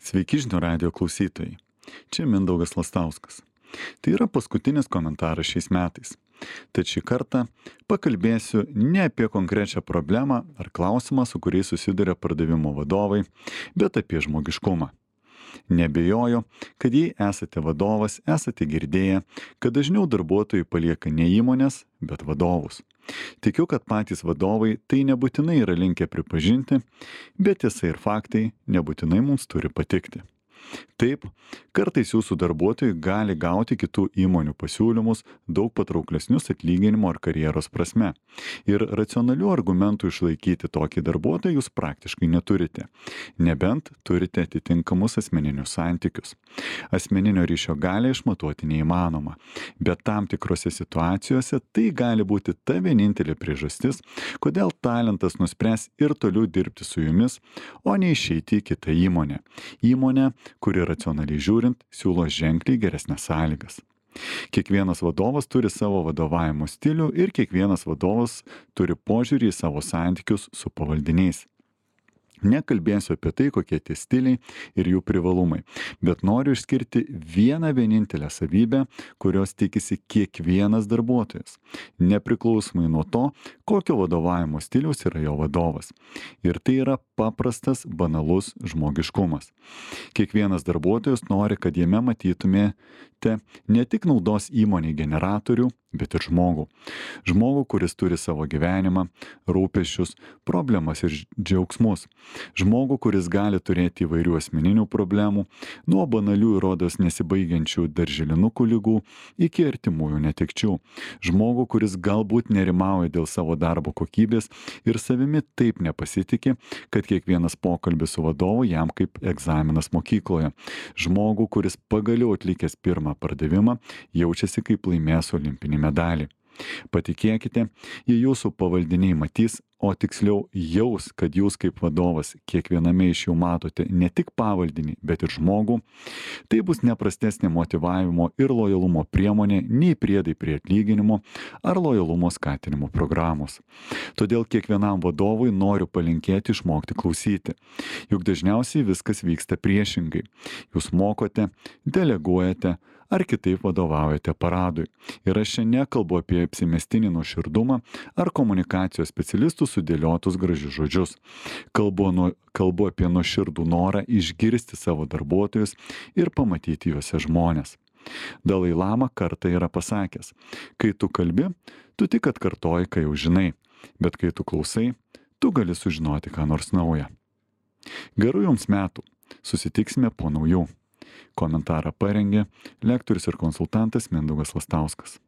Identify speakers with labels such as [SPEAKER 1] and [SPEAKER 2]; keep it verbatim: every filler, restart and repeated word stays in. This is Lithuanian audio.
[SPEAKER 1] Sveiki žinių radijo klausytojai. Čia Mindaugas Lastauskas. Tai yra paskutinis komentaras šiais metais. Tad šį kartą pakalbėsiu ne apie konkrečią problemą ar klausimą, su kuriais susiduria pardavimo vadovai, bet apie žmogiškumą. Nebejoju, kad jei esate vadovas, esate girdėję, kad dažniau darbuotojai palieka ne įmonės, bet vadovus. Tikiu, kad patys vadovai tai nebūtinai yra linkę pripažinti, bet tiesa ir faktai nebūtinai mums turi patikti. Taip, kartais jūsų darbuotojai gali gauti kitų įmonių pasiūlymus daug patrauklesnius atlyginimo ar karjeros prasme. Ir racionalių argumentų išlaikyti tokį darbuotoją jūs praktiškai neturite. Nebent turite atitinkamus asmeninius santykius. Asmeninio ryšio galią išmatuoti neįmanoma, bet tam tikrose situacijose tai gali būti ta vienintelė priežastis, kodėl talentas nuspręs ir toliau dirbti su jumis, o ne išeiti į kitą įmonę. Įmonę, kuri racionaliai žiūrint siūlo ženkliai geresnes sąlygas. Kiekvienas vadovas turi savo vadovavimo stilių ir kiekvienas vadovas turi požiūrį į savo santykius su pavaldiniais. Nekalbėsiu apie tai, kokie tie stiliai ir jų privalumai, bet noriu išskirti vieną vienintelę savybę, kurios tikisi kiekvienas darbuotojas, nepriklausomai nuo to, kokio vadovavimo stiliaus yra jo vadovas. Ir tai yra paprastas, banalus žmogiškumas. Kiekvienas darbuotojas nori, kad jame matytumėte ne tik naudos įmonei generatorių, bet ir žmogų. Žmogų, kuris turi savo gyvenimą, rūpesčius, problemas ir džiaugsmus. Žmogų, kuris gali turėti įvairių asmeninių problemų, nuo banalių ir rodos nesibaigiančių darželinukų ligų iki artimųjų netekčių. Žmogų, kuris galbūt nerimauja dėl savo darbo kokybės ir savimi taip nepasitikė, kad kiekvienas pokalbis su vadovu jam kaip egzaminas mokykloje. Žmogų, kuris pagaliau atlikęs pirmą pardavimą, jaučiasi kaip laimėjęs olimpinį medalį. Patikėkite, jei jūsų pavaldiniai matys, o tiksliau jaus, kad jūs kaip vadovas kiekviename iš jų matote ne tik pavaldinį, bet ir žmogų, tai bus neprastesnė motyvavimo ir lojalumo priemonė nei priedai prie atlyginimo ar lojalumo skatinimo programos. Todėl kiekvienam vadovui noriu palinkėti išmokti klausyti. Juk dažniausiai viskas vyksta priešingai. Jūs mokote, deleguojate, ar kitaip vadovaujate paradui. Ir aš čia nekalbu apie apsimestinį nuoširdumą ar komunikacijos specialistų sudėliotus gražius žodžius. Kalbu, nu, kalbu apie nuoširdų norą išgirsti savo darbuotojus ir pamatyti juose žmonės. Dalai Lama kartą yra pasakęs, kai tu kalbi, tu tik atkartoji, ką jau žinai, bet kai tu klausai, tu gali sužinoti ką nors naują. Gerų jums metų, susitiksime po naujų. Komentarą parengė lektorius ir konsultantas Mindaugas Lastauskas.